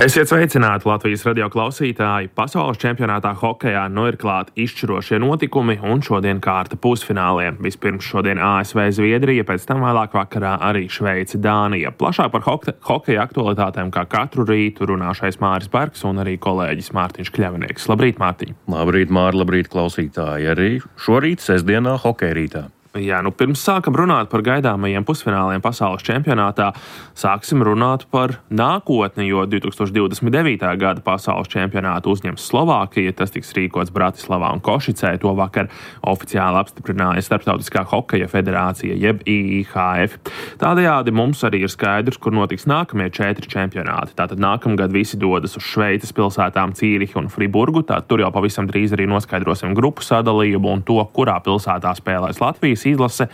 Esiet sveicināti Latvijas radio klausītāji. Pasaules čempionātā hokejā ir klāti izšķirošie notikumi un šodien kārta pusfināliem. Vispirms šodien ASV Zviedrija, pēc tam vēlāk vakarā arī Šveice Dānija. Plašāk par hokeja aktualitātēm kā katru rītu runāšais Māris Bergs un arī kolēģis Mārtiņš Kļavinieks. Labrīt, Mārtiņ! Labrīt, Māri, labrīt, klausītāji! Arī šorīt, sestdienā, hokeja rītā. Jā, pirms sākam runāt par gaidāmajiem pusfināliem pasaules čempionātā, sāksim runāt par nākotni, jo 2029. gada pasaules čempionātu uzņems Slovākija. Tas tiks rīkots Bratislavā un Košicē. To vakar oficiāli apstiprināja Starptautiskā hokeja federācija, jeb IIHF. Tādējādi mums arī ir skaidrs, kur notiks nākamie 4 čempionāti. Tātad nākamgad visi dodas uz Šveices pilsētām Cīrihu un Friburgu. Tātad tur jau pavisam drīz arī noskaidrosim grupu sadalījumu un to, kurā pilsētā spēlēs Latvijas izlase.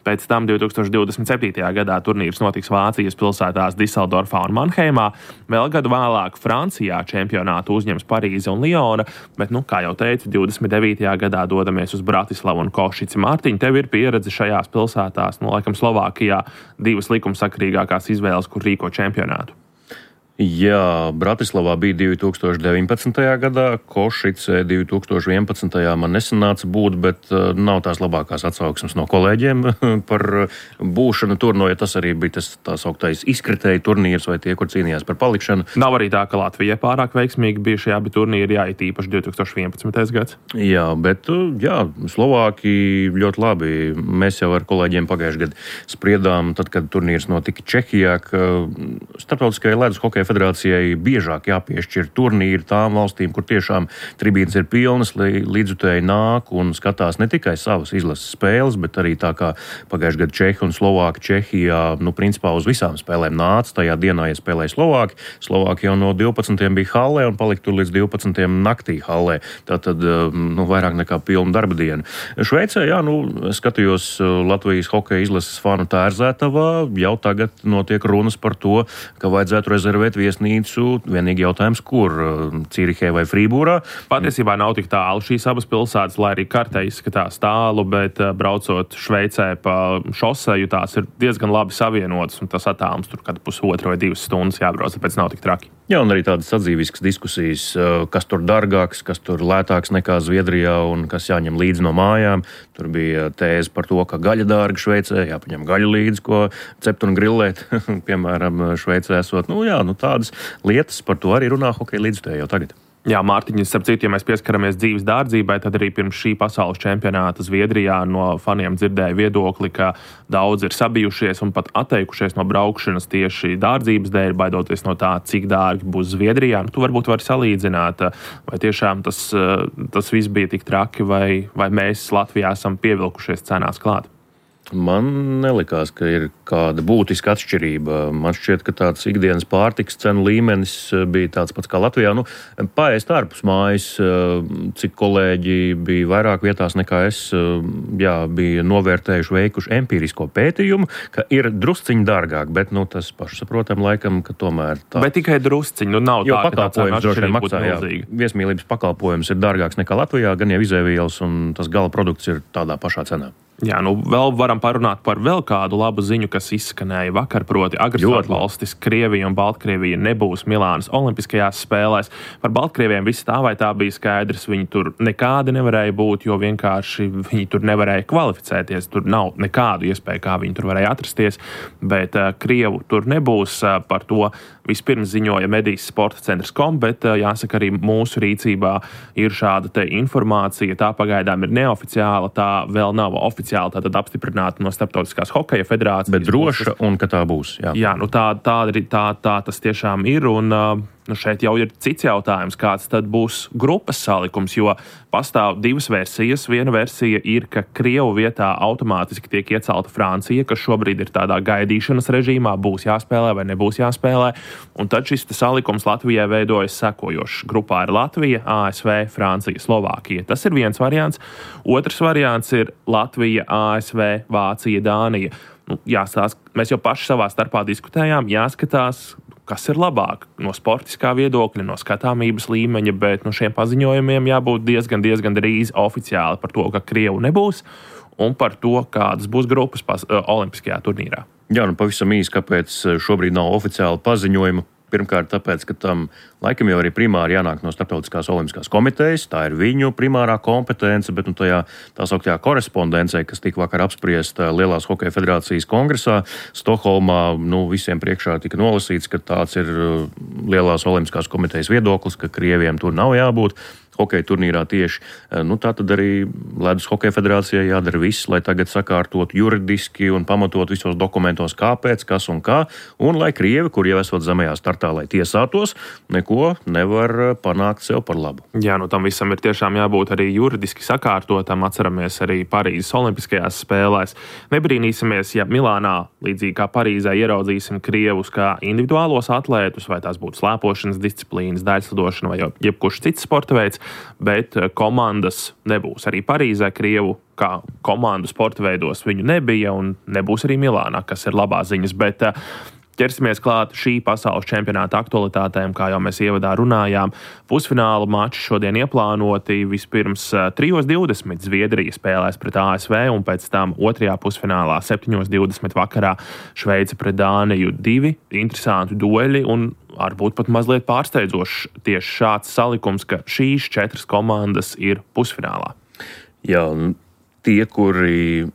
Pēc tam 2027. gadā turnīrs notiks Vācijas pilsētās Diseldorfā un Manheimā. Vēl gadu vēlāk Francijā čempionātu uzņems Parīze un Liona, bet, kā jau teicu, 29. gadā dodamies uz Bratislavu un Košici. Mārtiņ, tev ir pieredze šajās pilsētās, laikam Slovākijā 2 likumsakrīgākās izvēles, kur rīko čempionātu. Jā, Bratislavā bija 2019. gadā, Košicē 2011. man nesanāca būt, bet nav tās labākās atsauksmes no kolēģiem par būšanu tur, ja tas arī bija tas tā sauktais izkritēju turnīrs vai tie, kur cīnījās par palikšanu. Nav arī tā, ka Latvija pārāk veiksmīgi bija šajā turnīrā, it īpaši 2011. gads. Jā, bet Slovāki ļoti labi. Mēs jau ar kolēģiem pagājušajā gadā spriedām, tad, kad turnīrs notika Čehijā, ka Starptautiskajai ledus hokeja federācijai biežāk jāpiešķir turnīri tām valstīm, kur tiešām tribīnes ir pilnas, līdzutēji nāk un skatās ne tikai savas izlases spēles, bet arī tā kā pagājušajā gadā Čehi un Slovāki Čehijā, principā uz visām spēlēm nāca. Tajā dienā, ja spēlēja Slovāki, Slovāki jau no 12. bija hallē un palika tur līdz 12. naktī hallē. Tātad, vairāk nekā pilna darba diena. Šveicē, skatījos Latvijas hokeja izlases fanu Tērzētavā, jau tagad notiek runas par to, ka vajadzētu rezervēt viesnīcu. Vienīgi jautājums, kur Cīrihē vai Frībūrā. Patiesībā nav tik tālu šīs abas pilsētas, lai arī kartē izskatās tālu, bet braucot Šveicē pa šoseju, tās ir diezgan labi savienotas, un tas attālums tur kad 1,5 vai 2 stundas jābrauc, tāpēc nav tik traki. Jā, un arī tādas sadzīviskas diskusijas, kas tur dārgāks, kas tur lētāks nekā Zviedrijā un kas jāņem līdzi no mājām. Tur bija tēze par to, ka gaļa dārga Šveicē, jāpaņem gaļu līdzi, ko cept un grillēt, piemēram, Šveicē esot. Tādas lietas, par to arī runā hokeja līdzutēji jau tagad. Jā, Mārtiņš, starp citu, ja mēs pieskaramies dzīves dārdzībai, tad arī pirms šī pasaules čempionāta Zviedrijā no faniem dzirdēja viedokli, ka daudz ir sabijušies un pat atteikušies no braukšanas tieši dārdzības dēļ, baidoties no tā, cik dārgi būs Zviedrijā. Tu varbūt vari salīdzināt, vai tiešām tas viss bija tik traki, vai mēs Latvijā esam pievilkušies cenās klāt. Man nelikās, ka ir kāda būtiska atšķirība. Man šķiet, ka tāds ikdienas pārtikas cenu līmenis bija tāds pats kā Latvijā. Paēst ārpus mājas, cik kolēģi bija vairāk vietās nekā es, bija novērtējuši, veikuši empirisko pētījumu, ka ir drusciņi dārgāk, bet tas pašsaprotam laikam, ka tomēr tā. Bet tikai drusciņi, nav tā, ka tā cena atšķirība būtu milzīga. Viesmīlības pakalpojums ir dārgāks nekā Latvijā, gan jau izēvielas un tas gala produkts ir tādā pašā cenā. Jā, vēl varam parunāt par vēl kādu labu ziņu, kas izskanēja vakar, proti agresoru valstis Krievija un Baltkrievija nebūs Milānas olimpiskajās spēlēs. Par Baltkrieviem viss tā vai tā bija skaidrs, viņi tur nekādi nevarēja būt, jo vienkārši viņi tur nevarēja kvalificēties, tur nav nekādu iespēju, kā viņi tur varēja atrasties, bet Krievu tur nebūs. Par to vispirms ziņoja Medijas sporta centrs.com, bet jāsaka arī mūsu rīcībā ir šāda te informācija, tā pagaidām ir neoficiāla, tā vēl nav oficiāla. Tātad apstiprināta no Starptautiskās hokeja federācijas. Bet droša un ka tā būs. Jā, tā tas tiešām ir. Un šeit jau ir cits jautājums, kāds tad būs grupas salikums, jo pastāv 2 versijas. Viena versija ir, ka Krievu vietā automātiski tiek iecelta Francija, kas šobrīd ir tādā gaidīšanas režīmā, būs jāspēlē vai nebūs jāspēlē. Un tad šis salikums Latvijai veidojas sekojošs. Grupā ir Latvija, ASV, Francija, Slovākija. Tas ir viens variants. Otrs variants ir Latvija, ASV, Vācija, Dānija. Jāstāsta, mēs jau paši savā starpā diskutējām, jāskatās, kas ir labāk no sportiskā viedokļa, no skatāmības līmeņa, bet šiem paziņojumiem jābūt diezgan drīz oficiāli par to, ka Krievu nebūs, un par to, kādas būs grupas olimpiskajā turnīrā. Jā, pavisam īsi, kāpēc šobrīd nav oficiāli paziņojumi. Pirmkārt, tāpēc, ka tam laikam jau arī primāri jānāk no Starptautiskās olimpiskās komitejas, tā ir viņu primārā kompetence, bet tajā tā sauktajā korespondencē, kas tika vakar apspriesta Lielās hokeja federācijas kongresā Stokholmā, visiem priekšā tika nolasīts, ka tāds ir Lielās olimpiskās komitejas viedoklis, ka Krieviem tur nav jābūt hokeja turnīrā tieši. Tā tad arī Ledus hokeja federācijai jādara viss, lai tagad sakārtot juridiski un pamatot visos dokumentos, kāpēc, kas un kā, un lai Krievi, kur jau esot zemajā startā, lai tiesātos, neko nevar panākt sev par labu. Jā, tam visam ir tiešām jābūt arī juridiski sakārtotam. Atceramies arī Parīzes olimpiskajās spēlēs. Nebrīnīsimies, ja Milānā, līdzīgi kā Parīzē, ieraudzīsim Krievus kā individuālos atlētus, vai tās būtu slēpošanas disciplīnas, daļslidošana vai jebkurš cits sporta veids, bet komandas nebūs. Arī Parīzē Krievu kā komandu sporta veidos viņu nebija un nebūs arī Milānā, kas ir labās ziņas, bet ķersimies klāt šī pasaules čempionāta aktualitātēm, kā jau mēs ievadā runājām. Pusfināla mači šodien ieplānoti. Vispirms 3:20 Zviedrija spēlēs pret ASV, un pēc tam otrajā pusfinālā 7:20 vakarā Šveice pret Dāniju. Divi interesanti dueļi un varbūt pat mazliet pārsteidzošs tieši šāds salikums, ka šīs 4 komandas ir pusfinālā. Jā, tie, kuri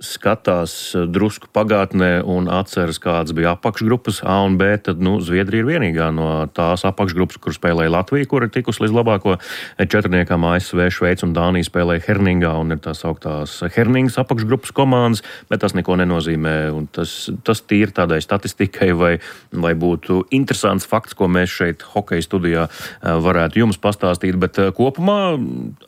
skatās drusku pagātnē un atceras, kādas bija apakšgrupas A un B, tad Zviedrija ir vienīgā no tās apakšgrupas, kur spēlēja Latvija, kur ir tikusi līdz labāko četrniekam. ASV, Šveice un Dānija spēlēja Herningā un ir tās sauktās Herningas apakšgrupas komandas, bet tas neko nenozīmē. Un tas tīri tādai statistikai vai būtu interesants fakts, ko mēs šeit hokeja studijā varētu jums pastāstīt, bet kopumā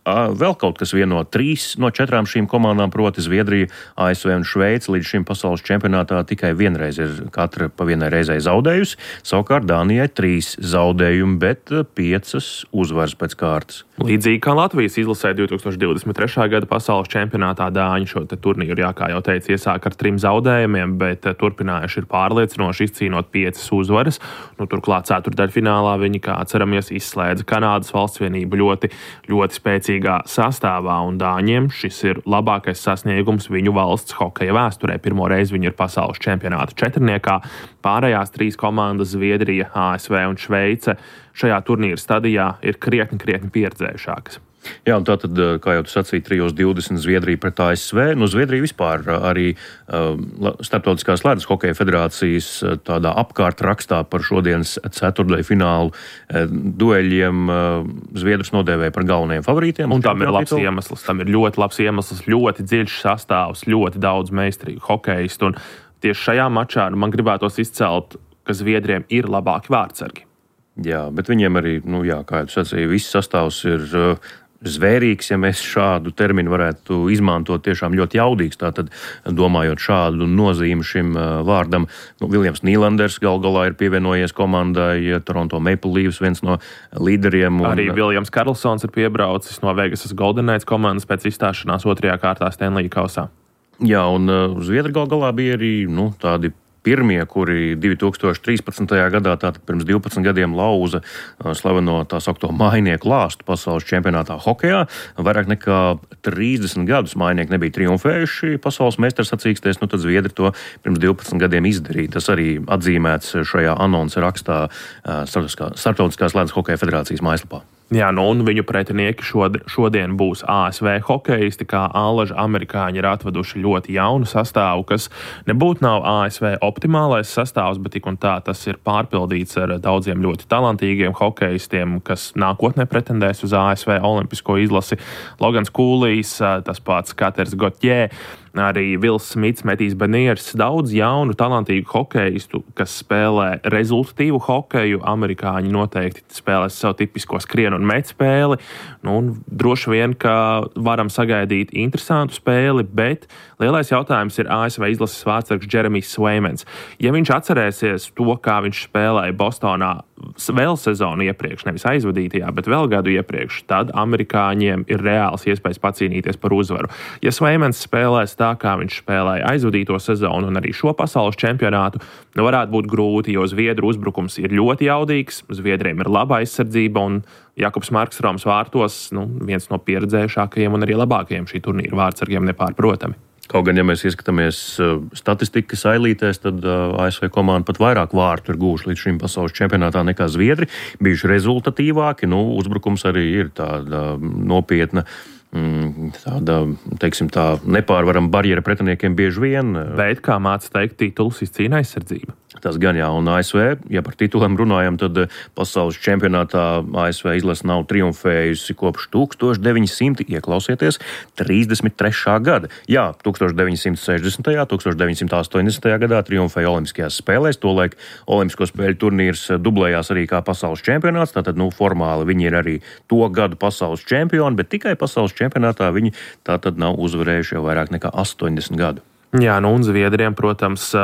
vēl kaut kas vieno 3 no 4 šīm komandām, proti Zviedrija, ASV un Šveice līdz šim pasaules čempionātā tikai vienreiz ir katra pa vienai reizei zaudējusi. Savukārt Dānijai 3 zaudējumi, bet 5 uzvaras pēc kārtas. Līdzīgi kā Latvijas izlasē 2023. gada pasaules čempionātā Dāņi šo turnīru, kā jau teicu, iesāk ar 3 zaudējumiem, bet turpinājuši ir pārliecinoši izcīnot 5 uzvaras. Turklāt ceturtdaļfinālā viņi, kā atceramies, izslēdza Kanādas valstsvienību ļoti, ļoti spēcīgā sastāvā, un Dāņiem šis ir labākais sasniegums viņu valsts hokeja vēsturē. Pirmo reizi viņi ir pasaules čempionāta četrniekā. Pārējās 3 komandas, Zviedrija, ASV un Šveice, šajā turnīra stadijā ir krietni pieredzējušākas. Jā, un tātad, kā jau tu sacīji, 3:20 Zviedrija pret ASV. Zviedrija vispār arī Starptautiskās ledus hokeja federācijas tādā apkārtrakstā par šodienas ceturtdaļu finālu dueļiem Zviedrus nodēvēja par galvenajiem favorītiem. Un tam ir labs iemesls. Tam ir ļoti labs iemesls, ļoti dziļš sastāvs, ļoti daudz meistarīgu hokeistu. Un tieši šajā mačā man gribētos izcelt, ka Zviedriem ir labāki vārtsargi. Jā, bet viņiem arī, kā jau tu sacīji, viss sastāvs ir zvērīgs, ja mēs šādu terminu varētu izmantot, tiešām ļoti jaudīgs. Tātad, domājot šādu nozīmi šim vārdam, Viljams Nīlanders gal galā ir pievienojies komandai, Toronto Maple Leafs, viens no līderiem. Arī Viljams Karlsons ir piebraucis no Vegasas Golden Knights komandas pēc izstāšanās otrajā kārtā Stanley kausā. Jā, un Zviedri gal galā bija arī tādi pirmie, kuri 2013. gadā, tātad pirms 12 gadiem, lauza slaveno tā saukto mainieku lāstu pasaules čempionātā hokejā. Vairāk nekā 30 gadus mainieki nebija triumfējuši pasaules meistarsacīkstēs, tad Zviedri to pirms 12 gadiem izdarīja. Tas arī atzīmēts šajā anonsa rakstā Starptautiskās ledus hokeja federācijas mājaslapā. Jā, un viņu pretinieki šodien būs ASV hokeisti, kā allaži amerikāņi ir atveduši ļoti jaunu sastāvu, kas nebūtu nav ASV optimālais sastāvs, bet tik un tā tas ir pārpildīts ar daudziem ļoti talantīgiem hokeistiem, kas nākotnē pretendēs uz ASV olimpisko izlasi. Logans Kūlijs, tas pats Katers Gotjē, arī Vils Smits, Metijs Beniers, daudz jaunu, talantīgu hokeistu, kas spēlē rezultatīvu hokeju. Amerikāņi noteikti spēlēs savu tipisko skrienu un met spēli. Un droši vien, ka varam sagaidīt interesantu spēli, bet lielais jautājums ir ASV izlases vārtsargs Jeremijs Sveimens. Ja viņš atcerēsies to, kā viņš spēlēja Bostonā vēl sezonu iepriekš, nevis aizvadītajā, bet vēl gadu iepriekš, tad amerikāņiem ir reāls iespējas pacīnīties par uzvaru. Ja Sveimens spēlēs tā, kā viņš spēlēja aizvadīto sezonu un arī šo pasaules čempionātu, varētu būt grūti, jo Zviedru uzbrukums ir ļoti jaudīgs, Zviedriem ir laba aizsardzība un Jakubs Markstroms vārtos, viens no pieredzējušākajiem un arī labākajiem šī turnīra vārtsargiem nepārprotami. Kaut gan, ja mēs ieskatāmies statistikas ailītēs, tad ASV komanda pat vairāk vārtu ir gūši līdz šim pasaules čempionātā nekā Zviedri. Bijuši rezultatīvāki, uzbrukums arī ir tāda nopietna, tāda, teiksim tā, nepārvarama barjera pretiniekiem bieži vien. Bet, kā māca teikt, titulus izcīna aizsardzība. Tas gan jā, un ASV, ja par tituliem runājam, tad pasaules čempionātā ASV izlase nav triumfējusi kopš 1900, ieklausieties, 33. gada. Jā, 1960. 1980. gadā triumfēja Olimpiskajās spēlēs, tolaik Olimpisko spēļu turnīrs dublējās arī kā pasaules čempionāts, tātad, formāli viņi ir arī to gadu pasaules čempioni, bet tikai pasaules čempionātā viņi tātad nav uzvarējuši jau vairāk nekā 80 gadu. Jā, un Zviedriem, protams,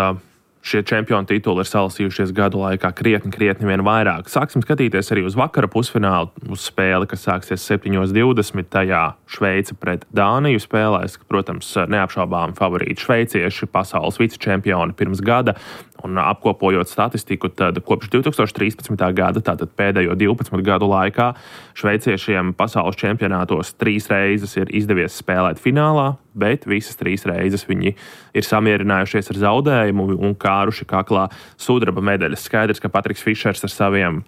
šie čempionu tituli ir salasījušies gadu laikā krietni vien vairāk. Sāksim skatīties arī uz vakara pusfinālu, uz spēli, kas sāksies 7:20. Tajā Šveice pret Dāniju spēlēs. Protams, neapšaubāmi favorīti šveicieši, pasaules vicečempioni pirms gada. Un apkopojot statistiku, tad kopš 2013. gada, tātad pēdējo 12 gadu laikā, šveiciešiem pasaules čempionātos 3 reizes ir izdevies spēlēt finālā, bet visas 3 reizes viņi ir samierinājušies ar zaudējumu un kāruši kaklā sudraba medaļas. Skaidrs, ka Patriks Fišers ar saviem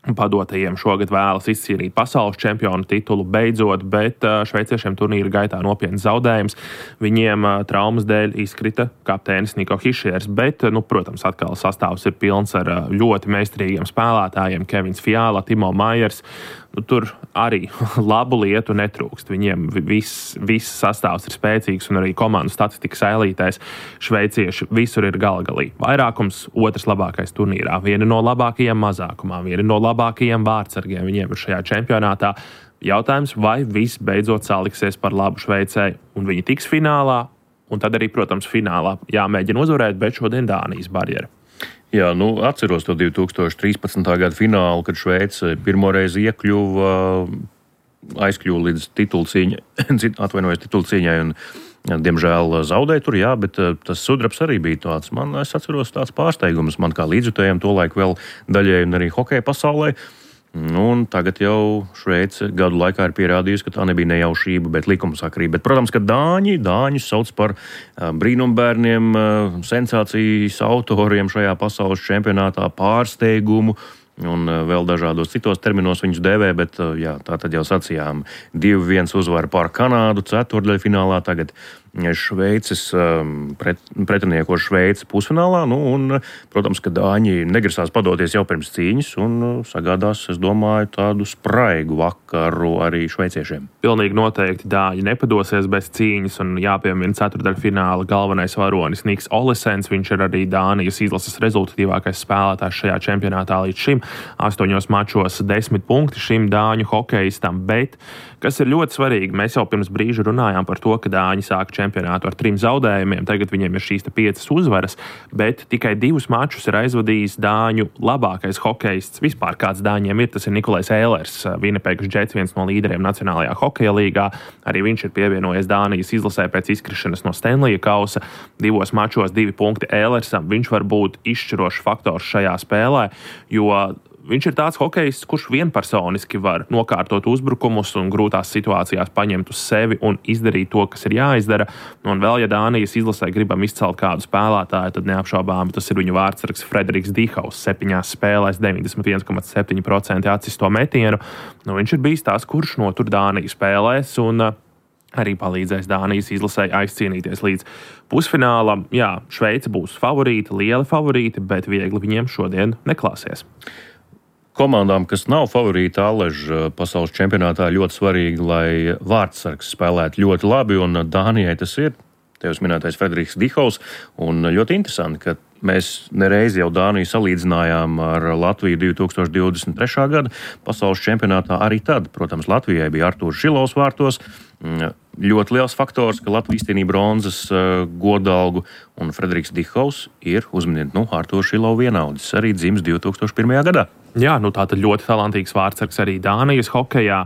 padotajiem šogad vēlas izcīnīt pasaules čempionu titulu beidzot, bet šveiciešiem turnīra gaitā nopietns zaudējums. Viņiem traumas dēļ izkrita kapteinis Niko Hišiers, bet, protams, atkal sastāvs ir pilns ar ļoti meistarīgiem spēlētājiem. Kevins Fiala, Timo Maiers. Tur arī labu lietu netrūkst. Viņiem viss sastāvs ir spēcīgs un arī komandu statistikas ailītēs šveicieši visur ir galgalī. Vairākums otrs labākais turnīrā, viena no labākajiem mazākumā, viena no labākajiem vārdsargiem viņiem ir šajā čempionātā. Jautājums, vai viss beidzot saliksies par labu Šveicei un viņi tiks finālā, un tad arī, protams, finālā jāmēģina uzvarēt, bet šodien Dānijas barjera. Jā, atceros to 2013. gada finālu, kad Šveice pirmoreiz aizkļuva līdz titulu cīņai un, diemžēl, zaudēja tur, jā, bet tas sudrabs arī bija tāds. Es atceros tāds pārsteigums man kā līdzjutējiem tolaik vēl daļēji un arī hokeja pasaulē. Un tagad jau Šveice gadu laikā ir pierādījusi, ka tā nebija nejaušība, bet likumsakarība. Bet, protams, ka Dāņus sauc par brīnumbērniem, sensācijas autoriem šajā pasaules čempionātā, pārsteigumu un vēl dažādos citos terminos viņus dēvē, bet jā, tā tad jau sacījām 2-1 uzvara pār Kanādu ceturtdaļfinālā, tagad Šveices pretinieko Šveici pusfinālā, un, protams, ka Dāņi negrasās padoties jau pirms cīņas un sagādās, es domāju, tādu spraigu vakaru arī šveiciešiem. Pilnīgi noteikti Dāņi nepadosies bez cīņas un jāpiemina ceturtdaļfināla galvenais varonis Niks Olesens. Viņš ir arī Dānijas izlases rezultatīvākais spēlētājs šajā čempionātā līdz šim. 8 mačos 10 punkti šim Dāņu hokeistam, bet, kas ir ļoti svarīgi, mēs jau pirms brīža runājām par to, ka Dāņi sāk čempionātu ar 3 zaudējumiem, tagad viņiem ir šīs 5 uzvaras, bet tikai 2 mačus ir aizvadījis Dāņu labākais hokeists vispār, kāds Dāņiem ir, tas ir Nikolais Ehlers, Winnipeg Jets, viens no līderiem Nacionālajā hokeja līgā. Arī viņš ir pievienojies Dānijas izlasē pēc izkrišanas no Stanleya kausa. 2 mačos 2 punkti Ehlersam. Viņš var būt izšķirošs faktors šajā spēlē, jo viņš ir tāds hokejists, kurš vienpersoniski var nokārtot uzbrukumus un grūtās situācijās paņemt uz sevi un izdarīt to, kas ir jāizdara. Un vēl, ja Dānijas izlasē gribam izcelt kādu spēlētāju, tad neapšaubām tas ir viņu vārdsargs Frederiks Dihaus. 7 spēlēs 91,7% atsisto metienu. Viņš ir bijis tās, kurš notur Dāniju spēlēs un arī palīdzēs Dānijas izlasē aizcīnīties līdz pusfinālam. Jā, Šveice būs favorīti, lieli favorīti, bet viegli viņiem šodien neklāsies. Komandām, kas nav favorīti Aleža pasaules čempionātā, ļoti svarīgi, lai vārdsargs spēlētu ļoti labi, un Dānijai tas ir. Tevis minētais Frederiks Dihaus, un ļoti interesanti, ka mēs nereiz jau Dāniju salīdzinājām ar Latviju 2023. gada pasaules čempionātā. Arī tad, protams, Latvijai bija Artūrs Šilovs vārtos. Ļoti liels faktors, ka Latvija izcīnīja bronzas godalgu, un Frederiks Dihaus ir, uzminiet, Artūrs Šilovs vienaudzis, arī dzimis 2001. gadā. Jā, tā tad ļoti talantīgs vārdsargs arī Dānijas hokejā.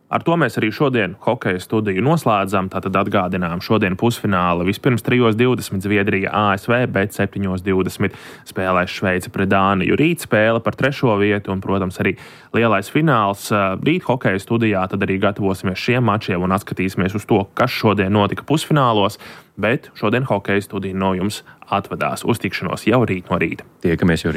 Ar to mēs arī šodien hokeja studiju noslēdzam. Tātad atgādinām, šodien pusfināli vispirms 3:20 Zviedrija ASV, bet 7:20 spēlēs Šveice pret Dāniju. Rīt spēle par 3. vietu un, protams, arī lielais fināls. Rīt hokeja studijā tad arī gatavosimies šiem mačiem un atskatīsimies uz to, kas šodien notika pusfinālos, bet šodien hokeja studija no jums atvadās. Uz tikšanos jau rīt no rīta. Tiekamies jau rīt.